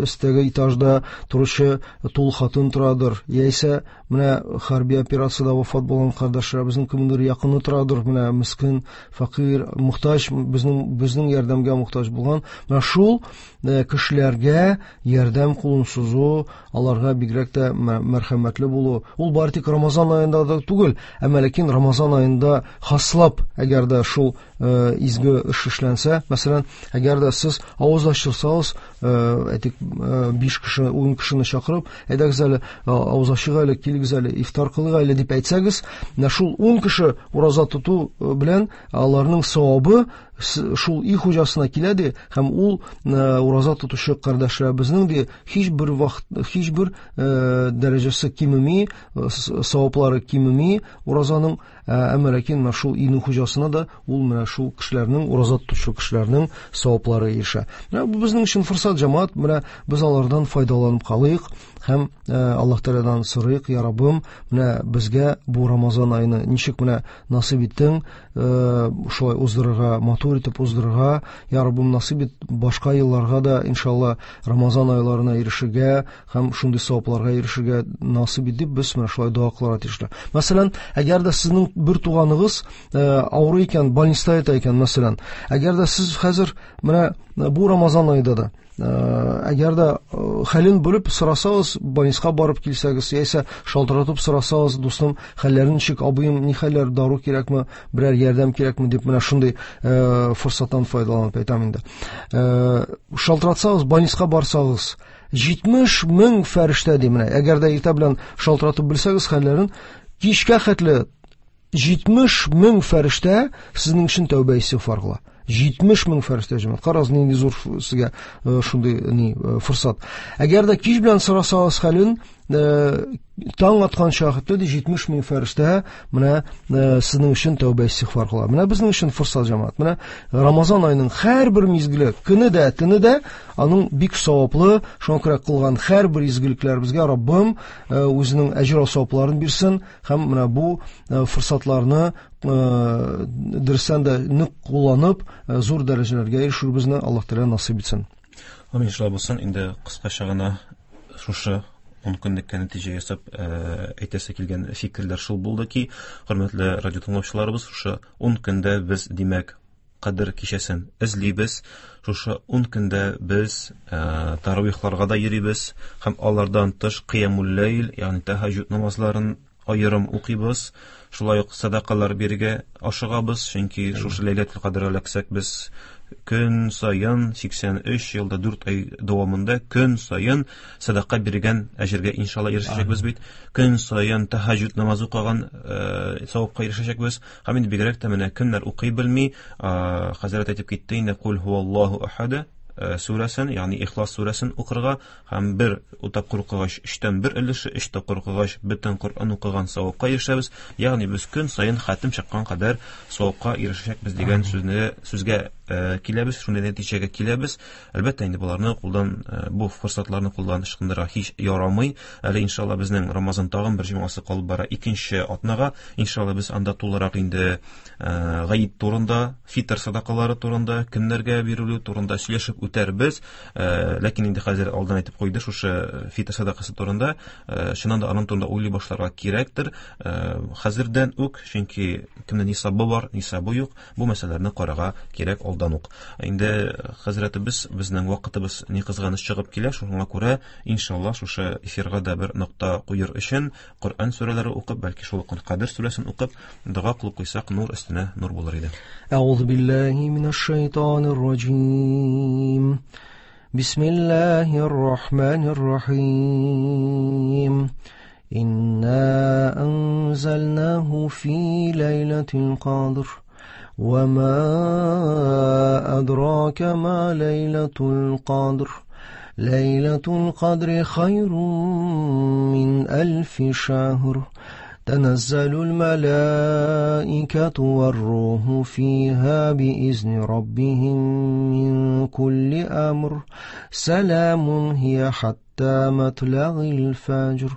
өстәге этажда торучы тул хатын торадыр, яисә менә менә хәрби операциядә вафат булган кардәшләребезнең кемдер якыны торадыр, менә мискин, фәкыйрь, мохтаҗ, безнең безнең ярдәмгә мохтаҗ булган. Менә шул кешеләргә ярдәм кулын сузу, аларга бигрәк тә мәрхәмәтле булу. Ул бары тик Рамазан аенда да түгел, әмма ләкин Рамазан аенда хаслап, әгәр дә шул изге эш эшләнсә, мәсәлән, әгәр дә сез авыз ачырсагыз, әйтик, биш кеше, ун кешене чакырып, әйдәгез әле, авыз ачык әле, килегез әле, ифтар кылыйк әле дип әйтсәгез, менә шул ун кеше ураза тоту белән аларның савабы шул өй хуҗасына килә ди, һәм ул ураза тотучы кардәшләребезнең ди һичбер вакыт, һичбер дәрәҗәсе кимеми, саваплары кимеми уразаның, әмма ләкин менә шул өйнең хуҗасына да ул менә шул кешеләрнең, ураза тотучы кешеләрнең саваплары ирешә. Менә бу безнең өчен форсат, җәмәгать, менә без алардан файдаланып калыйк һәм Аллаһ Тәгаләдән сорыйк: Я Раббым, менә безгә бу Рамазан аены ничек менә насыйп иттең, шулай уздырырга, матур итеп уздырырга, Я Раббым, насыйп ит башка елларга да иншалла Рамазан айларына ирешергә һәм шундый савапларга ирешергә насыйп ит дип без менә шулай дога кылырга тиешле. Мәсәлән, әгәр дә сезнең бер туганыгыз авыру икән, больниста ята икән, мәсәлән, әгәр дә сез хәзер менә бу Рамазан аенда да әгәр дә хәлен белеп сорасагыз, больниска барып килсәгез, яисә шалтыратып сорасагыз, дустым, хәлләре ничек, абыем, ни хәлләр, дару кирәкме, берәр ярдәм кирәкме дип менә шундый форсаттан файдаланып әйтәм инде. Шалтыратсагыз, больниска барсагыз, җитмеш мең фәрештә ди менә. Әгәр дә иртә белән шалтыратып белсәгез хәлләрен, кичкә хәтле җитмеш мең фәрештә сезнең өчен тәүбә истигъфар кыла. Җитмеш мең фәрештә, җәмәгать. Карагыз, нинди зур сезгә шундый ни форсат. Әгәр дә кич белән сорасагыз хәлен, таң атканча хәтле ди җитмеш мең фәрештә менә сезнең өчен тәүбә истигъфар кыла. Менә безнең өчен форсат, җәмәгать. Менә Рамазан аеның һәрбер мизгеле, көне дә, төне дә аның бик саваплы, шуңа күрә кылган һәрбер изгелекләребезгә Раббым үзенең әҗер савапларын бирсен һәм менә бу форсатларны дөрестән дә нык кулланып, зур дәрәҗәләргә ирешүебезне Аллаһ Тәгалә насыйп итсен. Амин, шулай булсын. Инде кыскача гына шушы ун көнлеккә нәтиҗә ясап әйтәсе килгән фикерләр шул булды ки, хөрмәтле радио тыңлаучыларыбыз, шушы ун көндә без, димәк, Кадер кичәсен эзлибез. Шушы ун көндә без таравихларга да йөрибез һәм алардан тыш кыямул ләйл, ягъни тәһәҗҗүд намазларын аерым укыйбыз. Шулай ук садакалар бирергә ашыгабыз, чөнки шушы Ләйләтул Кадр эләксәк без көн саен сиксән өч елда дүрт ай дәвамында көн саен садака биргән әҗергә иншалла ирешәчәкбез бит. Көн саен тәһәҗҗүд намазы укыган савапка ирешәчәкбез. Һәм инде бигрәк тә менә кемнәр укый белми, хәзрәт әйтеп китте инде, Кул һуаллаһу ахад сүрәсен, ягъни Ихлас сүрәсен укырга һәм бер тапкыр укыгач өчтән бер өлеше, өч тапкыр укыгач бөтен Коръән укыган савапка ирешәбез. Ягъни без көн саен хатим чыккан кадәр савапка ирешәчәкбез дигән сүзне, сүзгә киләбез, шундый нәтиҗәгә киләбез. Әлбәттә инде боларны кулдан, бу форсатларны кулдан ычкындырырга һич ярамый. Әле иншалла безнең Рамазан тагын бер җомгасы калып бара икенче атнага. Иншалла без анда тулырак инде гаит турында, фитр садакалары турында, кемнәргә бирелү турында сөйләшеп үтәрбез. Ләкин инде хәзер алдан әйтеп куйды шушы фитр садакасы турында, чыннан да аның турында уйлый башларга кирәктер. Хәзердән үк, чөнки кемнең нисабы бар, нисабы юк, бу мәсьәләләрне карарга кирәк алдан ук. Инде хәзрәтебез, безнең вакытыбыз ни кызганыч чыгып килә, шуңа күрә иншалла шушы эфирга да бер нокта куер өчен Коръән сүрәләре укып, бәлки шул ук Кадер сүрәсен укып, дога кылып куйсак, нур өстенә нур булыр иде. Әгъузу биллаһи минәш шайтанир раҗим. Бисмиллаһир рахманир рахим. Инна анзалнаху фи ләйләтил кадр. وما أدراك ما ليلة القدر ليلة القدر خير من ألف شهر تنزل الملائكة والروح فيها بإذن ربهم من كل أمر سلام هي حتى مطلع الفجر.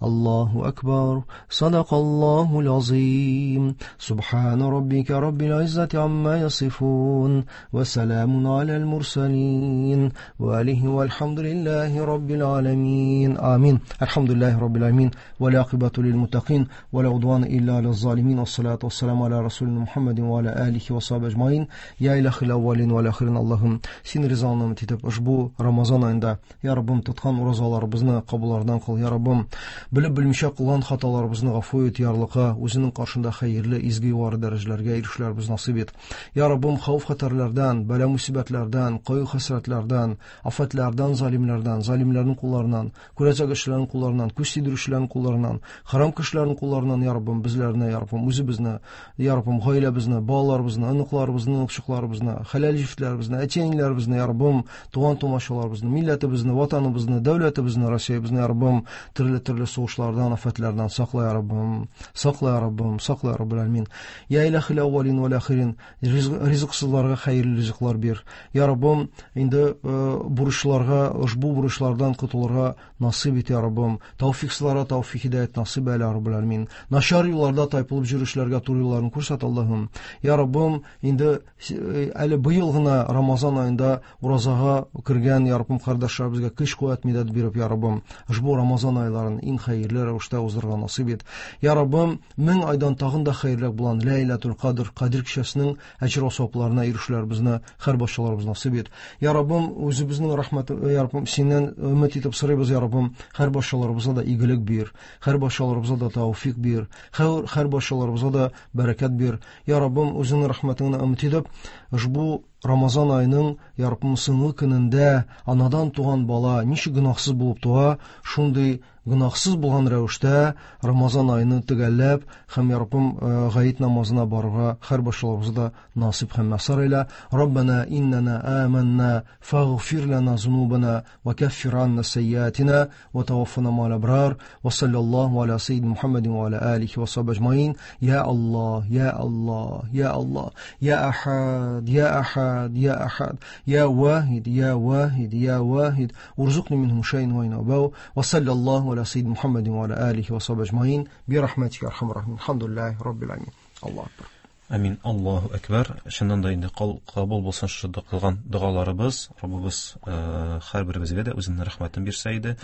الله أكبر. صدق الله العظيم. سبحان ربك رب العزة عما يصفون وسلام على المرسلين وآله والحمد لله رب العالمين. آمين. الحمد لله رب العالمين والعاقبة للمتقين ولا عدوان إلا على الظالمين والصلاة والسلام على رسولنا محمد وعلى آله وصحبه أجمعين. Ya ilahil avvalin vel ahirin Allah'ım, senin rızanı ümit etip uşbu Ramazan ayında ya Rabbim tutkan orazalarımızны kabullardan kıl ya Rabbim, bilip bilmişe kılgan hatalarımızны gafu et, yarlıqa, özünün karşında hayırlı, izgi yuvarı derecelerge erişlerimizi nasip et. Ya Rabbim, xavf xatarlardan, bela musibetlerden, qayğı hasretlerden, afetlerden, zalimlerden, zalimlerin kullarından, kürecek kişilerin kullarından, küs yedirişlerin kullarından, haram kişilerin kullarından ya Rabbim bizlerine, ya Rabbim özü bizni, ya Rabbim aile bizni, balalarımızны, ınıqlarımızны, ınıqçıqlarımızны, halal jiftlarımızны, әти-әниләребезне, ya Rabbim, туган тумачаларыбызны, милләтебезне, ватаныбызны, дәүләтебезне, Россиябезне, ya Rabbim, төрле-төрле сугышлардан, афәтләрдән сакла, ya Rabbim, сакла, ya Rabbim, сакла, ya Rabbil Alamin. Ya ilahil avvalin vel ahirin, ризыксызларга хәерле ризыклар бир. Ya Rabbim, инде бурычларга, ошбу бурычлардан котылырга насыйп ит, ya Rabbim. Тавфиксызларга тавфик хидәят насыйп әйлә, ya Rabbil Alamin. Начар юлларда тайпылып йөрүчеләргә туры юлларын күрсәт, Аллаһым. Ya Rabbim, инде әле быел гына Рамазан айында уразага кергән, ya Rabbim, кардәшләребезгә көч куәт медәт биреп, ya Rabbim, ошбу Рамазан айларын иң хәерле рәвештә уздырырга насыйп ит. Ya Rabbim, мең айдан тагын да хәерлерәк булган Ләйләтул Кадр, Кадр кичәсенең әҗер савапларына ирешүләребезне һәр башчаларыбыз насыйп ит. Ya Rabbim, үзебезнең рәхмәт, ya Rabbim, синнән өмет итеп сорыйбыз, ya Rabbim, һәр башчаларыбызга да игелек бир, һәр башчаларыбызга да тәүфик бир, һәр башчаларыбызга да бәрәкәт бир. Ya Rabbim, үзеңнең рәхмәтеңне өмет итеп, ошбу Рамазан айының, ya Rabbim, соңгы көнендә анадан туган бала ничек гөнаһсыз булып туа, шундый гөнаһсыз булган рәвештә Рамазан айны төгәлләп һәм, ya Rabbim, гает намазына барырга һәр башчаларыбызга да насыйп һәм мәсар әйлә. Раббана иннана аманна фагфир лана зунубана ва каффир анна сайyiатина ва таваффана ма'ал абрар ва саллаллаху аля саййидина Мухаммадин ва аля алихи ва сахбихи аджмаин. Я Аллах, я Аллах, я Аллах, я Ахад, я Ахад, я Ахад, я Вахид, я Вахид, я Вахид, урзукни минхум шай'ан ва инабау ва саллаллаху على سيد محمد وعلى آله وصحبه أجمعين برحمتك يا أرحم الراحمين. الحمد لله رب العالمين. الله أكبر. Амин. Аллаһу әкбәр. Чыннан да инде кабул булсын шушы кылган догаларыбыз. Раббыбыз һәрберебезгә дә үзенең рәхмәтен бирсә иде.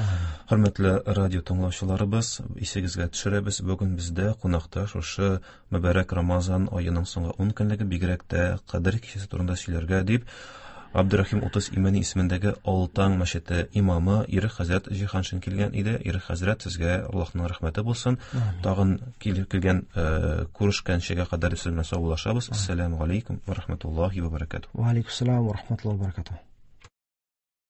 Хөрмәтле радио тыңлаучыларыбыз, исегезгә төшерәбез, бүген бездә кунакта шушы мөбарәк Рамазан аеның соңгы ун көнлеге, бигрәк тә Кадер кичәсе турында сөйләргә дип Абдурахим Утыз Имәни исемендәге Алтан мәчете имамы Ирек хәзрәт Җиһаншин килгән иде. Ирек хәзрәт, сезгә Аллаһның рәхмәте булсын. Тагын килеп килгән күрешкәнчегә кадәр сезнең белән саубуллашабыз. Ассаламу алейкум ва рахматуллахи ва баракатуһ. Ва алейкум ассалам ва рахматуллахи ва баракатуһ.